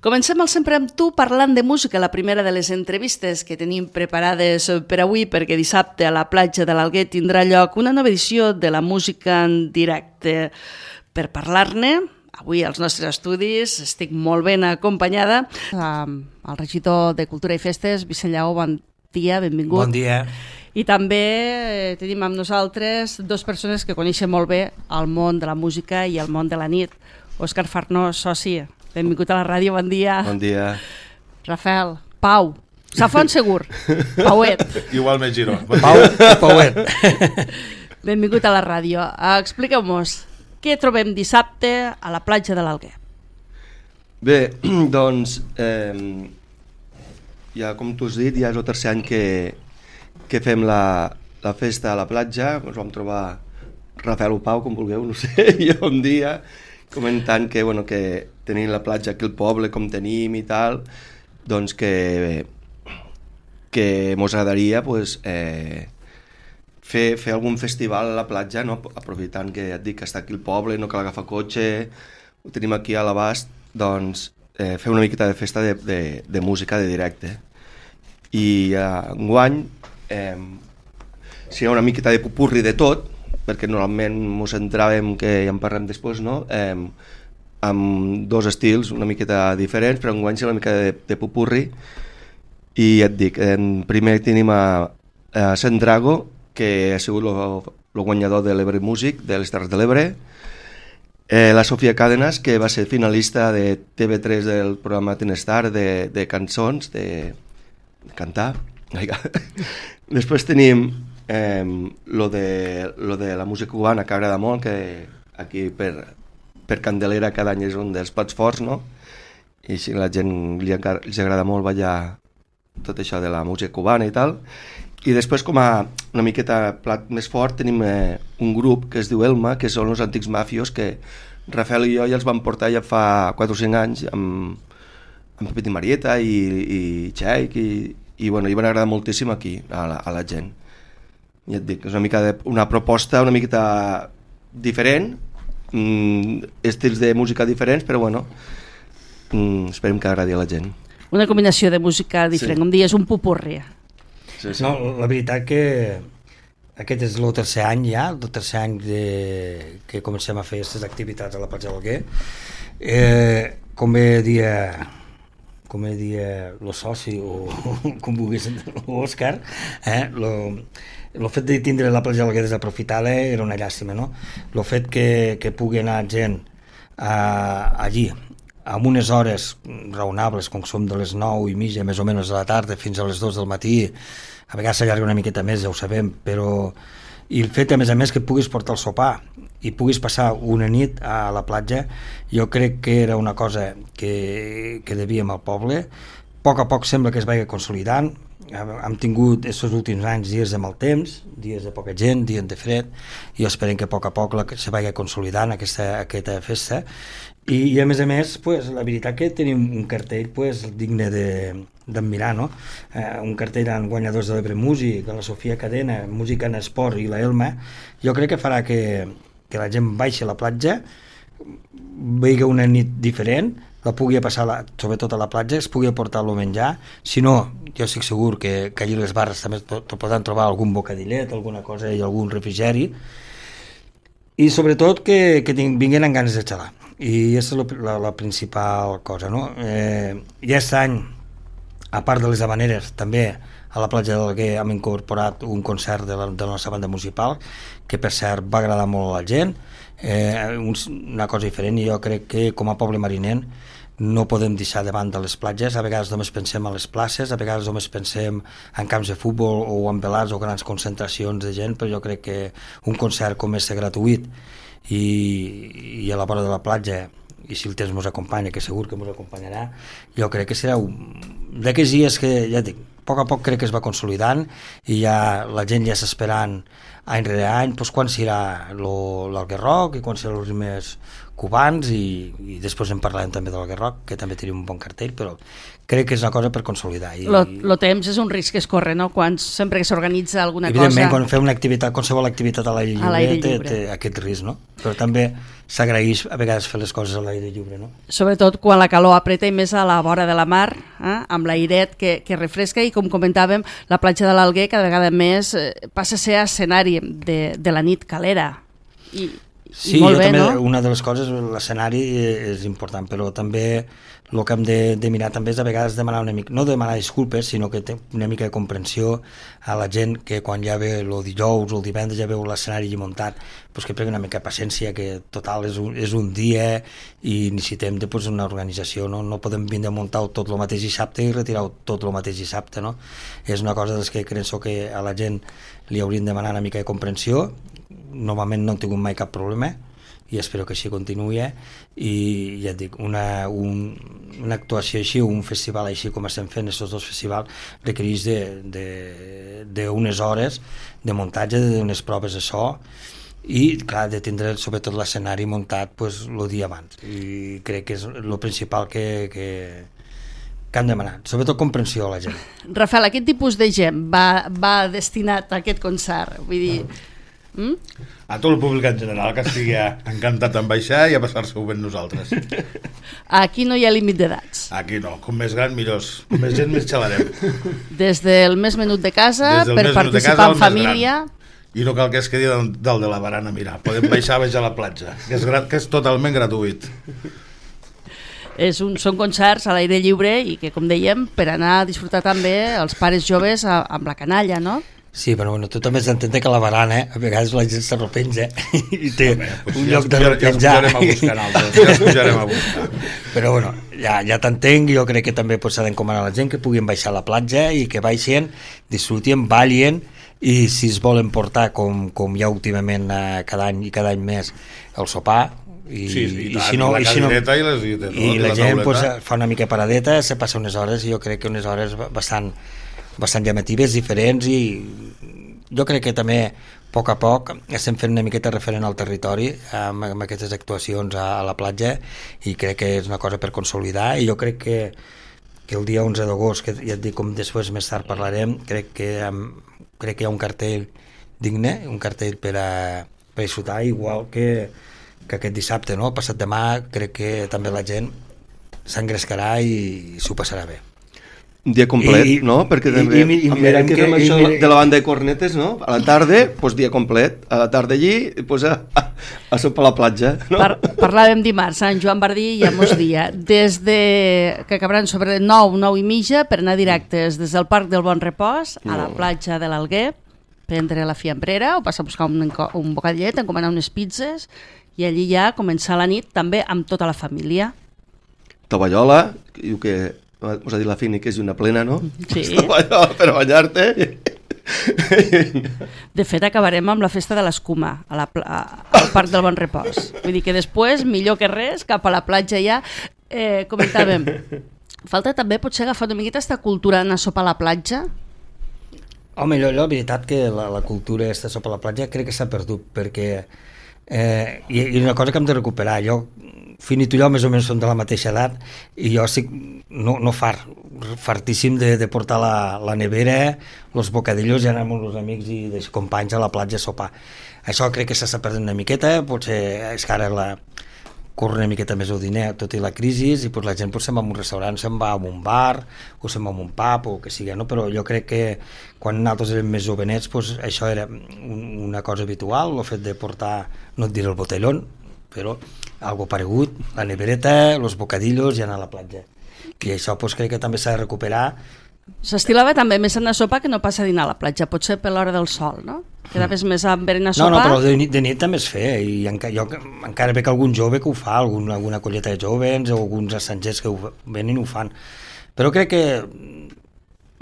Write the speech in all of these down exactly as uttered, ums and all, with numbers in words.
Comencem el Sempre amb tu parlant de música, la primera de les entrevistes que tenim preparades per avui, perquè dissabte a la platja de l'Alguer tindrà lloc una nova edició de la música en directe. Per parlar-ne, avui als nostres estudis estic molt ben acompanyada amb el regidor de Cultura i Festes, Vicent Lleó. Bon dia, benvingut. Bon dia. I també tenim amb nosaltres dues persones que coneixen molt bé el món de la música i el món de la nit. Òscar Farnós, soci, benvingut a la ràdio, bon dia. Bon dia. Rafael, Pau, Safon segur, Pauet. Igual me giro. Bon Pau, Pauet. Benvingut a la ràdio. Expliqueu-nos, què trobem dissabte a la platja de l'Alguer? Bé, doncs, eh, ja com tu has dit, ja és el tercer any que, que fem la, la festa a la platja. Ens vam trobar Rafael o Pau, com vulgueu, no sé, jo un dia comentant que, bueno, que tenim la platja aquí al poble com tenim i tal, doncs que que mos agradaria pues, eh, fer, fer algun festival a la platja, no? Aprofitant que ja et dic que està aquí al poble, no cal agafar cotxe, ho tenim aquí a l'abast, doncs eh, fer una miqueta de festa de, de, de música de directe. I eh, enguany eh, serà una miqueta de pupurri de tot, perquè normalment ens centràvem, que ja en parlem després, no? Eh, amb dos estils una miqueta diferents, però enguany serà una mica de, de pupurri. I ja et dic, eh, primer tenim a, a Sandrago, que ha sigut el guanyador de l'Ebre Music, de les Terres de l'Ebre, eh, la Sofia Càdenas, que va ser finalista de T V tres del programa Tenestar de, de cançons, de, de cantar. Després tenim Eh, lo, de, lo de la música cubana, que agrada molt, que aquí per, per Candelera cada any és un dels plats forts, no? I si la gent li, li agrada molt ballar tot això de la música cubana i tal. I després, com a una miqueta plat més fort, tenim eh, un grup que es diu Elma, que són els antics mafios, que Rafael i jo ja els vam portar ja fa quatre o cinc anys amb, amb Pepet i Marieta i, i Txaic, i, i, bueno, i van agradar moltíssim aquí a la, a la gent. Ja et dic, és una mica de, una proposta una miqueta diferent, mm, estils de música diferents, però bueno, mm, esperem que agradi a la gent. Una combinació de música diferent, sí. Com dies, un pupurri. Sí, sí. No, la veritat que aquest és el tercer any ja, el tercer any de, que comencem a fer aquestes activitats a la platja de l'Alguer. Eh, com bé dia... com dia el soci o com vulguis l'Òscar, eh, lo, el fet de tindre la platja de l'Alguer desaprofitada era una llàstima, no? El fet que, que pugui anar gent a, allí amb unes hores raonables, com som de les nou i mitja més o menys de la tarda fins a les dos del matí, a vegades s'allarga una miqueta més, ja ho sabem, però i el fet a més a més que puguis portar el sopar i puguis passar una nit a la platja, jo crec que era una cosa que, que devíem al poble. A poc a poc sembla que es vagi consolidant. Hem tingut aquests últims anys dies de mal temps, dies de poca gent, dies de fred, i esperem que a poc a poc la, se vagi consolidant aquesta, aquesta festa. I, i a més a més, pues, la veritat que tenim un cartell pues, digne de d'admirar, no? Eh, un cartell amb guanyadors de l'Ebre Music, la Sofia Cadena, Música en Esport i la Elma. Jo crec que farà que, que la gent baixi a la platja, vegi una nit diferent, la pugui passar, la, sobretot a la platja, es pugui aportar el menjar. Si no, jo estic segur que, que allí les barres també te poden trobar algun bocadillet, alguna cosa i algun refrigeri. I sobretot que, que vinguin amb ganes de xalar. I aquesta és la, la principal cosa, no? Eh, I aquest any, a part de les habaneres, també a la platja de l'Alguer hem incorporat un concert de la, de la nostra banda municipal, que per cert va agradar molt a la gent, eh, un, una cosa diferent, i jo crec que com a poble marinent no podem deixar de banda les platges. A vegades només pensem a les places, a vegades només pensem en camps de futbol o en velars o grans concentracions de gent, però jo crec que un concert com és gratuït i, i a la vora de la platja, i si el temps ens acompanya, que segur que ens acompanyarà, jo crec que serà d'aquells dies que, ja dic, a poc a poc crec que es va consolidant i ja la gent ja està esperant any rere any, doncs quan serà l'Alguer Rock i quan serà els primers cubans i, i després en parlarem també del Guerroc, que també tenim un bon cartell, però crec que és una cosa per consolidar. I, lo, lo temps és un risc que es corre, no? Quan, sempre que s'organitza alguna evidentment, cosa... quan fem una activitat, qualsevol activitat a l'aire lliure, l'aire té, lliure. té aquest risc, no? Però també s'agraeix a vegades fer les coses a l'aire lliure, no? Sobretot quan la calor apreta i més a la vora de la mar, eh? Amb l'airet que, que refresca, i com comentàvem, la platja de l'Alguer cada vegada més eh, passa a ser escenari de, de la nit calera. I, Sí, I molt jo bé, també, no? una de les coses, l'escenari és important, però també el que hem de, de mirar també és a vegades demanar una mica, no demanar disculpes, sinó que té una mica de comprensió a la gent que quan ja ve el dijous o el divendres ja veu l'escenari muntat, pues que pregui una mica de paciència, que total és un, és un dia i necessitem de, pues, una organització, no? No podem vindre a muntar tot el mateix dissabte i retirar tot el mateix dissabte, no? És una cosa des que penso que a la gent li hauríem de demanar una mica de comprensió. Normalment no he tingut mai cap problema i espero que així continuï, eh? I ja et dic, una, un, una actuació així, un festival així com estem fent aquests dos festivals, requereix d'unes hores de muntatge, d'unes proves de so i clar, de tindre sobretot l'escenari muntat pues, el dia abans, i crec que és el principal que, que, que han demanat, sobretot comprensió a la gent. Rafael, aquest tipus de gent va, va destinat a aquest concert? Vull dir... Mm? A tot el públic en general, que estigui encantat en baixar i a passar-se-ho ben nosaltres. Aquí no hi ha límit d'edats. Aquí no, com més gran millors, com més gent més xalarem. Des del més menut de casa, per participar casa, en família... I no cal que es quedi del, del de la barana, mira, podem baixar a baixar a la platja, que és, gra, que és totalment gratuït. És un, són concerts a l'aire lliure i que, com dèiem, per anar a disfrutar també els pares joves a, amb la canalla, no? Sí, però bueno, tu també has d'entendre que la barana, eh, a vegades la gent s'arrepenja i té Home, pues un ja lloc de repenjar. Ja repenjar. els pujarem a buscar nosaltres, ja els pujarem a buscar. Però bueno, ja, ja t'entenc, jo crec que també pues, s'ha d'encomanar a la gent que puguin baixar a la platja i que baixin, disfrutin, ballin, i si es volen portar, com, com ja últimament eh, cada any i cada any més, el sopar, i, Sí, sí, i, i tant, si no, i la i si no, cadireta i, les, i, tot, i la, la gent tauleta. pues, fa una mica paradeta, se passa unes hores, i jo crec que unes hores bastant, bastant llamatives, diferents, i jo crec que també a poc a poc estem fent una miqueta referent al territori amb, amb aquestes actuacions a, a la platja, i crec que és una cosa per consolidar, i jo crec que, que el dia onze d'agost, que ja et dic, com després més tard parlarem, crec que, um, crec que hi ha un cartell digne, un cartell per a, per a disfrutar, igual que, que aquest dissabte, no? Passat demà, crec que també la gent s'engrescarà i, i s'ho passarà bé. Un dia complet, I, no? Perquè i, també, i, i, i mirarem que, que, fem i, això i, de la banda de cornetes, no? A la tarda, doncs dia complet. A la tarda allí, doncs a, a, a sopar a la platja, no? Par parlàvem dimarts, Sant Joan Bardí ja mos dia, des de que acabaran sobre nou, nou i mitja, per anar directes des del Parc del Bon Repòs a la platja de l'Alguer, prendre la fiambrera o passar a buscar un, un bocadillet, encomanar unes pizzas, i allí ja començar la nit també amb tota la família. Tovallola, que diu que us ha dit la Fini que és una plena, no? Sí. Tovallola per banyar-te. De fet, acabarem amb la festa de l'escuma a la a, al Parc del Bon Repòs. Vull dir que després, millor que res, cap a la platja ja. Eh, comentàvem, falta també potser agafar una miqueta aquesta cultura d'anar a sopar a la platja. Home, jo, jo la veritat que la, la cultura aquesta sopar a la platja crec que s'ha perdut, perquè eh, i, i una cosa que hem de recuperar. Jo, Fini, tu i jo més o menys som de la mateixa edat, i jo estic no, no fart, fartíssim de, de portar la, la nevera, els bocadillos, i anar amb els amics i els companys a la platja a sopar. Això crec que s'està perdent una miqueta, potser és que ara la, corre una miqueta més el diner, tot i la crisi, i pues, la gent pues, se'n va a un restaurant, se'n va a un bar, o se'n va a un pub, o que sigui, no? Però jo crec que quan nosaltres érem més jovenets, pues, això era un, una cosa habitual, el fet de portar, no et diré el botellón, però algo paregut, la nevereta, els bocadillos i anar a la platja. I això pues, crec que també s'ha de recuperar. S'estilava també més anar a sopar que no pas a dinar a la platja, potser per l'hora del sol, no? Quedaves més a berenar a sopar. No, no, però de nit, de nit també es feia, i enca, jo encara veig algun jove que ho fa, algun, alguna colleta de jovens o alguns estrangers que ho venen i ho fan. Però crec que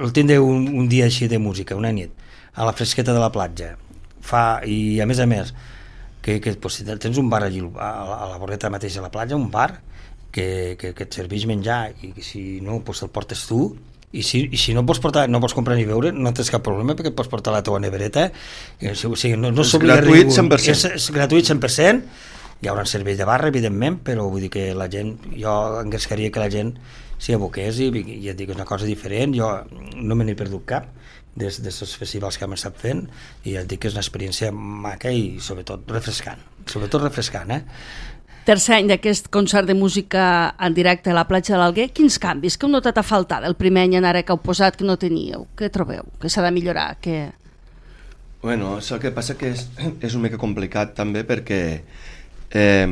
el tindre un, un dia així de música, una nit, a la fresqueta de la platja, fa, i a més a més, que, que pues, si tens un bar allí a, a la voreta mateixa a la platja, un bar que, que, que et serveix menjar, i que si no pues, el portes tu, i si, i si no pots portar, no pots comprar ni beure, no tens cap problema, perquè pots portar la teva nevereta, o sigui, no, no és gratuït ningú. cent per cent. És, és gratuït cent per cent, hi haurà un servei de barra, evidentment, però vull dir que la gent, jo engrescaria que la gent s'hi aboqués i, i et dic, és una cosa diferent. Jo no me n'he perdut cap des dels festivals que hem estat fent i et dic que és una experiència maca i sobretot refrescant, sobretot refrescant, eh? Tercer any d'aquest concert de música en directe a la platja de l'Alguer, quins canvis que heu notat a faltar del primer any en ara que heu posat que no teníeu? Què trobeu? Que s'ha de millorar? Que... Bueno, és el que passa que és, és una mica complicat també perquè eh,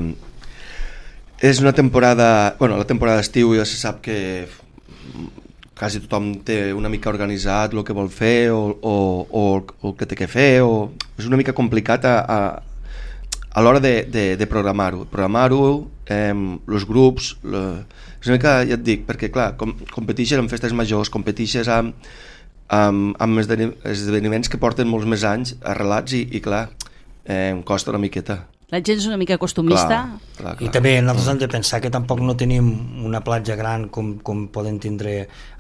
és una temporada... Bueno, la temporada d'estiu ja se sap que quasi tothom té una mica organitzat el que vol fer o, o, o, o el que té que fer, o és una mica complicat a, a a l'hora de, de, de programar-ho, programar-ho, eh, els grups, le, és una mica, ja et dic, perquè clar, com, competixes en festes majors, competixes amb, amb, amb esdeveniments que porten molts més anys arrelats i, i clar, eh, em costa una miqueta. La gent és una mica costumista. Clar, clar, clar. I també nosaltres hem de pensar que tampoc no tenim una platja gran com, com poden tindre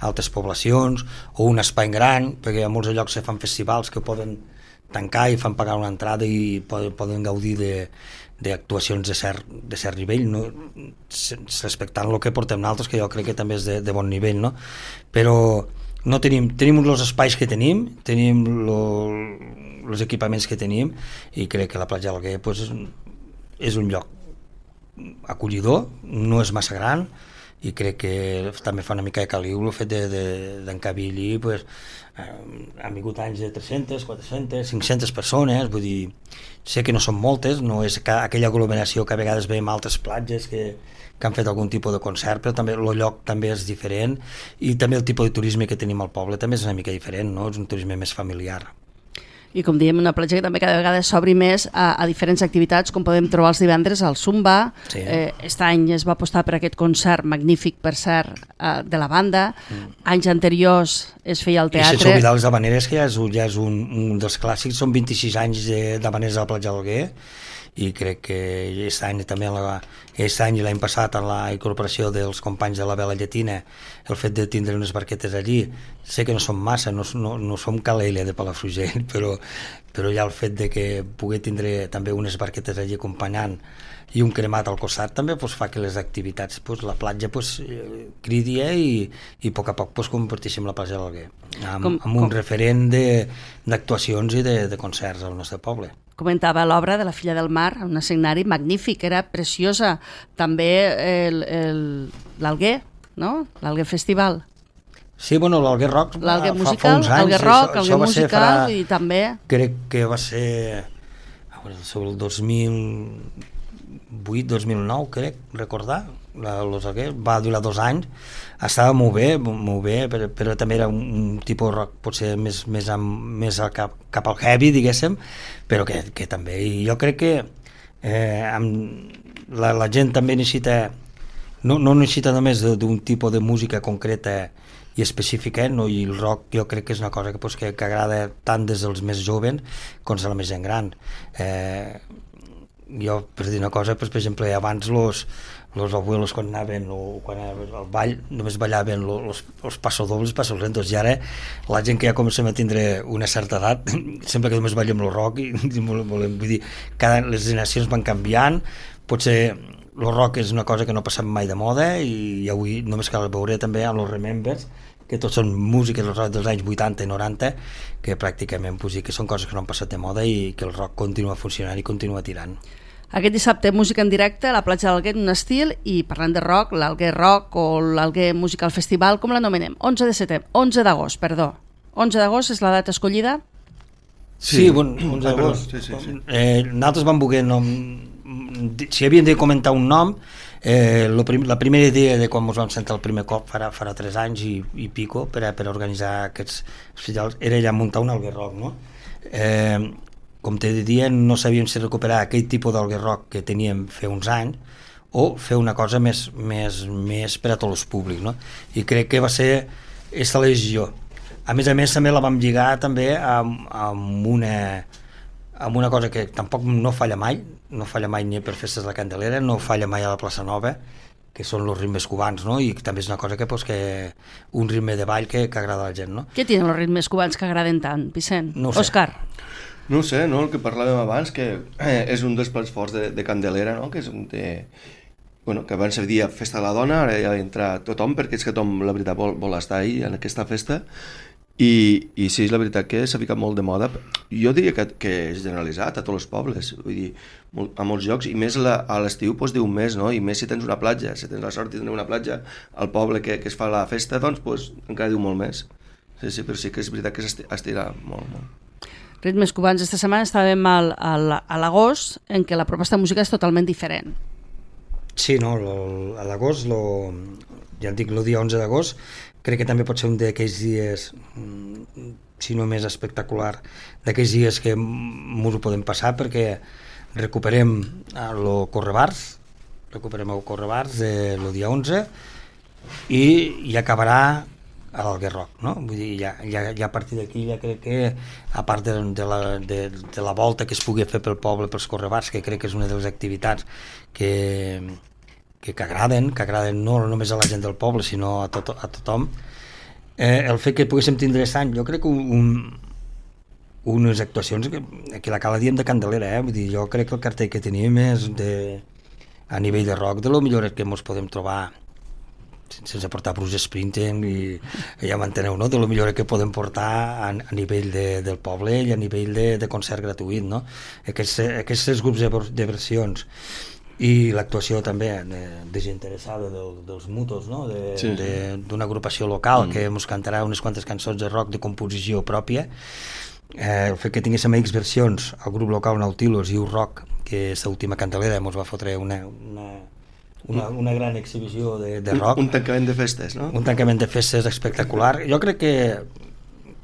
altres poblacions o un espai gran, perquè a molts llocs se fan festivals que poden tancar i fan pagar una entrada i poden, poden gaudir d'actuacions de, de, cert, de cert nivell, no? Respectant el que portem nosaltres, que jo crec que també és de, de bon nivell, no? Però no tenim, tenim els espais que tenim, tenim els equipaments que tenim i crec que la platja de l'Alguer pues, és, és un lloc acollidor, no és massa gran i crec que també fa una mica de caliu el fet d'encabir-hi de, pues, eh, han vingut anys de tres-centes, quatre-centes, cinc-centes persones, vull dir, sé que no són moltes, no és aquella aglomeració que a vegades veiem a altres platges que, que han fet algun tipus de concert, però també el lloc també és diferent i també el tipus de turisme que tenim al poble també és una mica diferent, no? És un turisme més familiar. I com diem, una platja que també cada vegada s'obri més a, a diferents activitats, com podem trobar els divendres al Zumba. Sí. Eh, aquest any es va apostar per aquest concert magnífic, per cert, eh, de la banda. Mm. Anys anteriors es feia al teatre. I sense oblidar els Habaneres, que ja és, ja és un, un dels clàssics, són vint-i-sis anys d'Habaneres a la platja de l'Alguer, i crec que aquest any també la, aquest any i l'any passat en la incorporació dels companys de la Vela Llatina, el fet de tindre unes barquetes allí, sé que no som massa, no, no, no som Calella de Palafrugell, però, però ja el fet de que pugui tindre també unes barquetes allí acompanyant i un cremat al costat també pues, fa que les activitats, pues, la platja pues, cridi i, i a poc a poc pues, convertíssim la platja de l'Alguer amb, com, amb un com... referent d'actuacions i de, de concerts al nostre poble. Comentava l'obra de La filla del mar, un escenari magnífic, era preciosa. També l'Alguer, no? L'Alguer Festival. Sí, bueno, l'Alguer Rock l'Alguer fa, musical, fa uns anys. L'Alguer Rock, això, l'Alguer musical farà, i també... Crec que va ser sobre el dos mil vuit dos mil nou, crec, recordar. La, los Alguer, va durar dos anys, estava molt bé, molt bé però, però també era un, un tipus rock potser més, més, amb, més al cap, cap al heavy, diguéssim, però que, que també, i jo crec que eh, amb la, la gent també necessita, no, no necessita només d'un tipus de música concreta i específica, no? I el rock jo crec que és una cosa que, pues, que, que agrada tant des dels més joves com de la més gent gran. Eh, jo, per dir una cosa, pues, per exemple, abans los els abuelos quan anaven o quan anaven al ball només ballaven els, els passodobles, passos lentos, i ara la gent que ja comencem a tindre una certa edat sempre que només ballem el rock i, i volem, vull dir, cada, les generacions van canviant, potser el rock és una cosa que no passa mai de moda i avui només cal veure també amb els Remembers, que tots són músiques dels anys vuitanta i noranta que pràcticament pues, que són coses que no han passat de moda i que el rock continua funcionant i continua tirant. Aquest dissabte música en directe a la platja de l'Alguer, un estil, i parlant de rock, l'Alguer Rock o l'Alguer Musical Festival, com l'anomenem? onze de setembre, onze d'agost, perdó. onze d'agost és la data escollida? Sí, sí bon, onze d'agost. Sí, sí, sí. Eh, nosaltres vam voler nom... si havíem de comentar un nom, eh, prim... la primera idea de quan ens vam sentar el primer cop farà, farà tres anys i, i pico per, a, per a organitzar aquests festivals era ja muntar un Alguer Rock, no? Eh, com te diria, no sabíem si recuperar aquell tipus d'Alguer Rock que teníem fer uns anys o fer una cosa més, més, més per a tots els públics, no? I crec que va ser aquesta la decisió. A més a més també la vam lligar també amb, amb, una, amb una cosa que tampoc no falla mai, no falla mai ni per festes de la Candelera, no falla mai a la plaça Nova, que són els ritmes cubans, no? I també és una cosa que, pues, que un ritme de ball que, que agrada a la gent, no? Què tenen els ritmes cubans que agraden tant, Vicent? No ho sé. Òscar? No sé, no? El que parlàvem abans, que eh, és un dels plats forts de, de Candelera, no? Que és un de... Bueno, que abans se dia festa de la dona, ara ja entra tothom, perquè és que tothom, la veritat, vol, vol estar ahí en aquesta festa. I, i sí, és la veritat que s'ha ficat molt de moda. Jo diria que, que és generalitzat a tots els pobles, vull dir, molt, a molts llocs, i més la, a l'estiu doncs, diu un mes, no? I més si tens una platja, si tens la sort de tenir una platja al poble que, que es fa la festa, doncs, doncs encara diu molt més. Sí, sí, però sí que és veritat que s'estira molt, molt. Ritmes cubans, esta setmana estàvem al, al, a l'agost, en què la proposta de música és totalment diferent. Sí, no, lo, a l'agost, lo, ja et dic, el dia onze d'agost, crec que també pot ser un d'aquells dies, si no més espectacular, d'aquells dies que ens ho podem passar, perquè recuperem el Correbars, recuperem el Correbars el dia onze, i, i acabarà a l'Alguerroc, no? Vull dir, ja, ja, ja a partir d'aquí ja crec que, a part de, de, la, de, de la volta que es pugui fer pel poble, pels Correbars, que crec que és una de les activitats que, que, que agraden, que agraden no només a la gent del poble, sinó a, tot, a tothom, eh, el fet que poguéssim tindre aquest any, jo crec que un, unes actuacions que, que la cala diem de Candelera, eh? Vull dir, jo crec que el cartell que tenim és de, a nivell de rock, de lo millor que ens podem trobar, sense portar Bruce Springsteen, i ja m'enteneu, no? De lo millor que podem portar a, a nivell de, del poble i a nivell de, de concert gratuït, no? Aquests, aquests grups de, de versions i l'actuació també de, desinteressada de, dels Mutos, no? De, sí. D'una agrupació local mm. que ens cantarà unes quantes cançons de rock de composició pròpia. Eh, el fet que tinguéssim X versions, el grup local Nautilus i U-Rock, que és l'última Candelera, ens va fotre una, una, una, una gran exhibició de, de rock. Un, un tancament de festes, no? Un tancament de festes espectacular. Jo crec que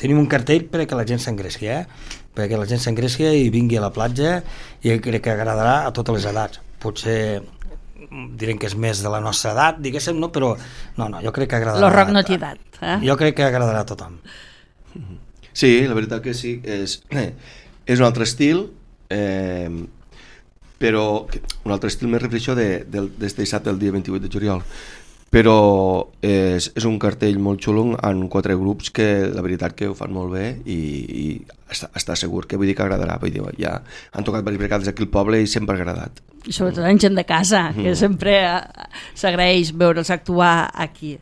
tenim un cartell perquè la gent s'engresqui, eh? Perquè la gent s'engresqui i vingui a la platja, i crec que agradarà a totes les edats. Potser direm que és més de la nostra edat, diguéssim, no? Però no, no, jo crec que agradarà... Lo rock no té edat, eh? Jo crec que agradarà a tothom. Sí, la veritat que sí, és, eh, és un altre estil, eh, però un altre estil, més refereixo de, de, des de dissabte, el dia vint-i-vuit de juliol, però és, és un cartell molt xulo en quatre grups que la veritat que ho fan molt bé, i, i està, està segur que vull dir que agradarà. Vull dir, ja han tocat diverses vegades aquí al poble i sempre ha agradat. I sobretot en gent de casa, que mm. sempre s'agraeix veure'ls actuar aquí.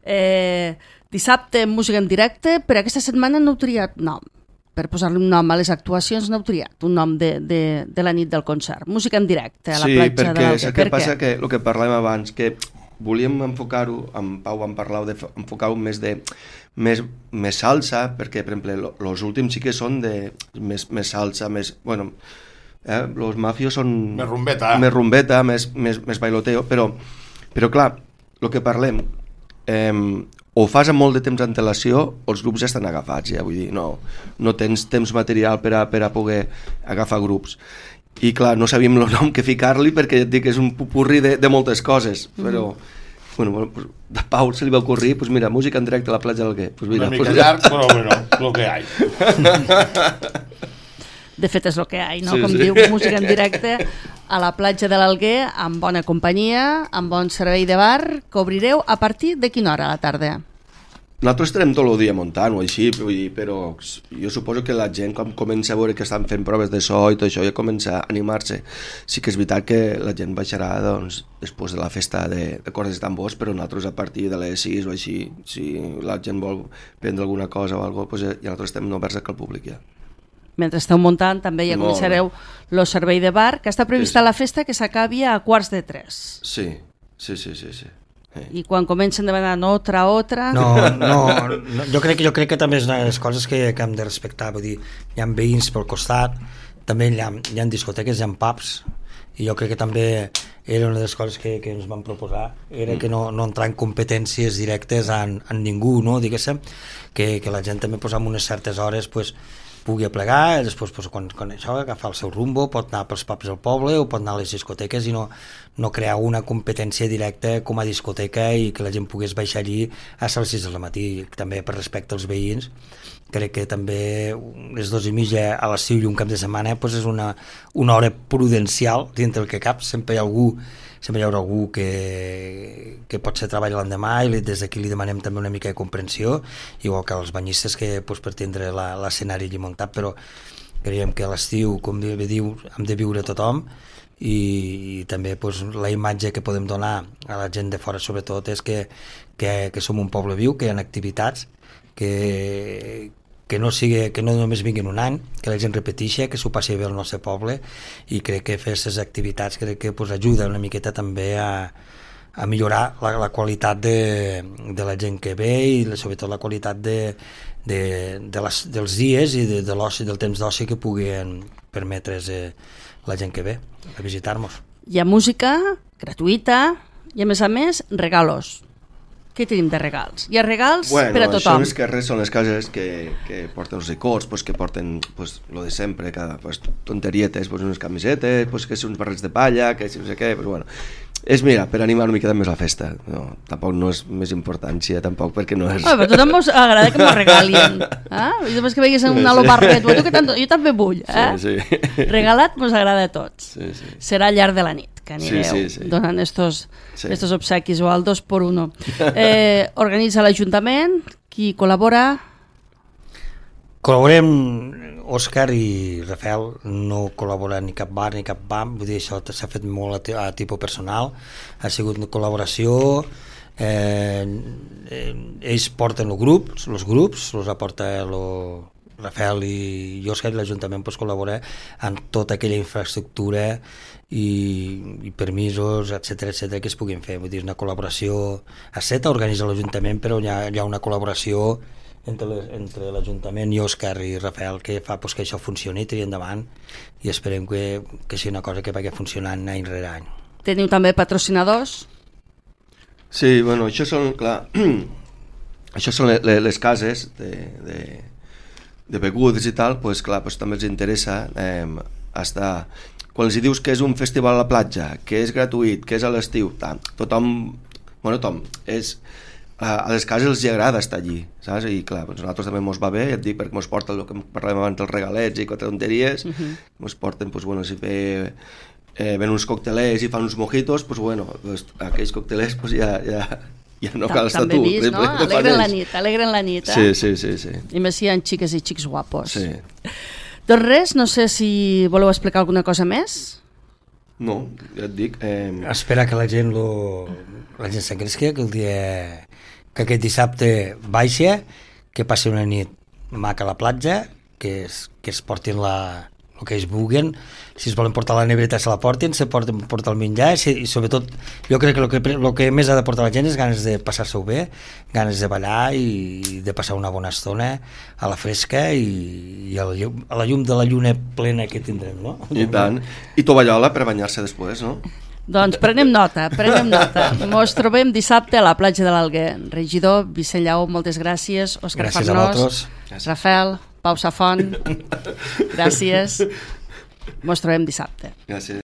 Eh, dissabte, música en directe, però aquesta setmana no heu triat nom. Per posar-li un nom a les actuacions no heu triat un nom de, de, de la nit del concert. Música en directe a la sí, platja de l'Alguer. Sí, perquè el que passa que el que parlàvem abans, que volíem enfocar-ho, amb Pau vam parlar d'enfocar-ho més de més, més salsa, perquè per exemple els últims sí que són de més, més salsa, més, bueno, eh, los mafios són més rumbeta, més, rumbeta, més, més, més bailoteo, però, però clar, el que parlem, eh, o fas amb molt de temps d'antelació o els grups ja estan agafats, ja, vull dir, no, no tens temps material per a, per a poder agafar grups. I clar, no sabíem el nom que ficar-li, perquè ja et dic que és un pupurri de, de moltes coses, però mm. bueno, pues, de Pau se li va ocorrir, pues mira, música en directe a la platja d'Alguer. Pues mira, una mica pues, llarg, però bueno, lo que hay. De fet és el que hi ha, no? Sí, Com sí. diu, música en directe a la platja de l'Alguer, amb bona companyia, amb bon servei de bar, que obrireu a partir de quina hora a la tarda? Nosaltres estarem tot el dia muntant o així, vull dir, però jo suposo que la gent quan comença a veure que estan fent proves de so i tot això ja comença a animar-se. Sí que és veritat que la gent baixarà doncs, després de la festa de, de cordes i tambors, però nosaltres a partir de les sis o així, si la gent vol prendre alguna cosa o alguna cosa, doncs ja nosaltres estem oberts al públic ja. Mentre esteu muntant també ja començareu el servei de bar, que està prevista sí, sí. la festa que s'acabi a quarts de tres. Sí, sí, sí, sí, sí. Sí. I quan comencen de demanar otra, otra... No, no, no jo, crec, jo crec que també és una de les coses que, que hem de respectar. Vull dir, hi ha veïns pel costat, també hi ha, hi ha discoteques, hi ha pubs, i jo crec que també era una de les coses que, que ens van proposar, era mm. que no, no entrar en competències directes en, en ningú, no? Diguéssim, que, que la gent també pues, amb unes certes hores pues, pugui aplegar, i després pues, quan, quan això agafar el seu rumbo, pot anar pels pubs del poble o pot anar a les discoteques i no, no crear una competència directa com a discoteca i que la gent pogués baixar allí a les sis del matí. També per respecte als veïns, crec que també les dos i mitja a l'estiu i un cap de setmana pues, és una, una hora prudencial dintre el que cap. Sempre hi ha algú sempre hi haurà algú que, que pot ser treball l'endemà i des d'aquí li demanem també una mica de comprensió, igual que els banyistes que pues, per tindre l'escenari allí muntat, però creiem que a l'estiu, com bé diu, hem de viure tothom, i, i també pues, la imatge que podem donar a la gent de fora sobretot és que, que, que som un poble viu, que hi ha activitats, que, que, no sigui, que no només vinguin un any, que la gent repeteixi, que s'ho passi bé al nostre poble, i crec que fer aquestes activitats crec que pues, ajuda una miqueta també a, a millorar la, la qualitat de, de la gent que ve i sobretot la qualitat de, de, de les, dels dies i de, de l'oci, del temps d'oci que puguin permetre's eh, la gent que ve a visitar-nos. Hi ha música gratuïta i, a més a més, regalos. Què tenim de regals? Hi ha regals bueno, per a tothom. Bueno, això és que res són les cases que, que porten els licors, pues, que porten pues, lo de sempre, cada, pues, tonterietes, pues, unes camisetes, pues, que són uns barrets de palla, que si no sé què, pues, bueno. És, mira, per animar una miqueta més la festa. No, tampoc no és més importància, tampoc, perquè no és... Oh, però a tothom us agrada que m'ho regalin. Eh? I després que veiguis un alo barret, tu que tant, jo també vull. Eh? Sí, sí. Regalat mos agrada a tots. Sí, sí. Serà al llarg de la nit que anireu sí, sí, sí. donant estos, sí. estos obsequis o al dos por uno. Eh, organitza l'Ajuntament, qui col·labora... Col·laborem, Òscar i Rafael, no col·laboren ni cap bar ni cap bam, vull dir, això s'ha fet molt a, a tipus personal, ha sigut una col·laboració, eh, eh, ells porten els grups, els grups, els aporta lo, Rafael i Òscar, i l'Ajuntament pues, col·labora en tota aquella infraestructura i, i permisos, etcètera, etcètera, que es puguin fer. Vull dir, una col·laboració a seta, organitza l'Ajuntament, però hi ha, hi ha una col·laboració entre, entre l'Ajuntament i Òscar i Rafael que fa pues, que això funcioni, tiri endavant, i esperem que, que sigui una cosa que vagi funcionant any rere any. Teniu també patrocinadors? Sí, bueno, això són, clar, això són les, les cases de, de, de begudes i tal, pues, clar, pues, també els interessa eh, estar... Quan els dius que és un festival a la platja, que és gratuït, que és a l'estiu, tothom, bueno, tothom, és... a les cases els agrada estar allí, saps? I clar, doncs a nosaltres també mos va bé, ja et dic, perquè mos porten el que parlàvem abans dels regalets i quatre tonteries, uh -huh. mos porten, doncs, bueno, si ve, eh, ven uns coctelers i fan uns mojitos, doncs, bueno, doncs, aquells coctelers doncs, ja, ja, ja no cal estar tu. També vist, no? Alegren la nit, alegren la nit, eh? Sí, sí, sí, sí. I més si hi ha xiques i xics guapos. Sí. Doncs res, no sé si voleu explicar alguna cosa més? No, ja et dic... Eh... Espera que la gent lo... la gent s'engresqui, que el dia... que aquest dissabte baixa, que passi una nit maca a la platja, que es, que es portin la, el que es vulguin, si es volen portar la nevereta se la portin, se porten portar el menjar, i sobretot jo crec que el que, el que més ha de portar la gent és ganes de passar-se-ho bé, ganes de ballar i de passar una bona estona a la fresca i, i a, la llum, a la llum de la lluna plena que tindrem, no? I tant. I tovallola per banyar-se després, no? Doncs prenem nota, prenem nota. Mos trobem dissabte a la platja de l'Alguer. Regidor Vicent Lleó, moltes gràcies. Òscar gràcies Farnós, Rafael, Pau Safont, gràcies. Mos trobem dissabte. Gràcies.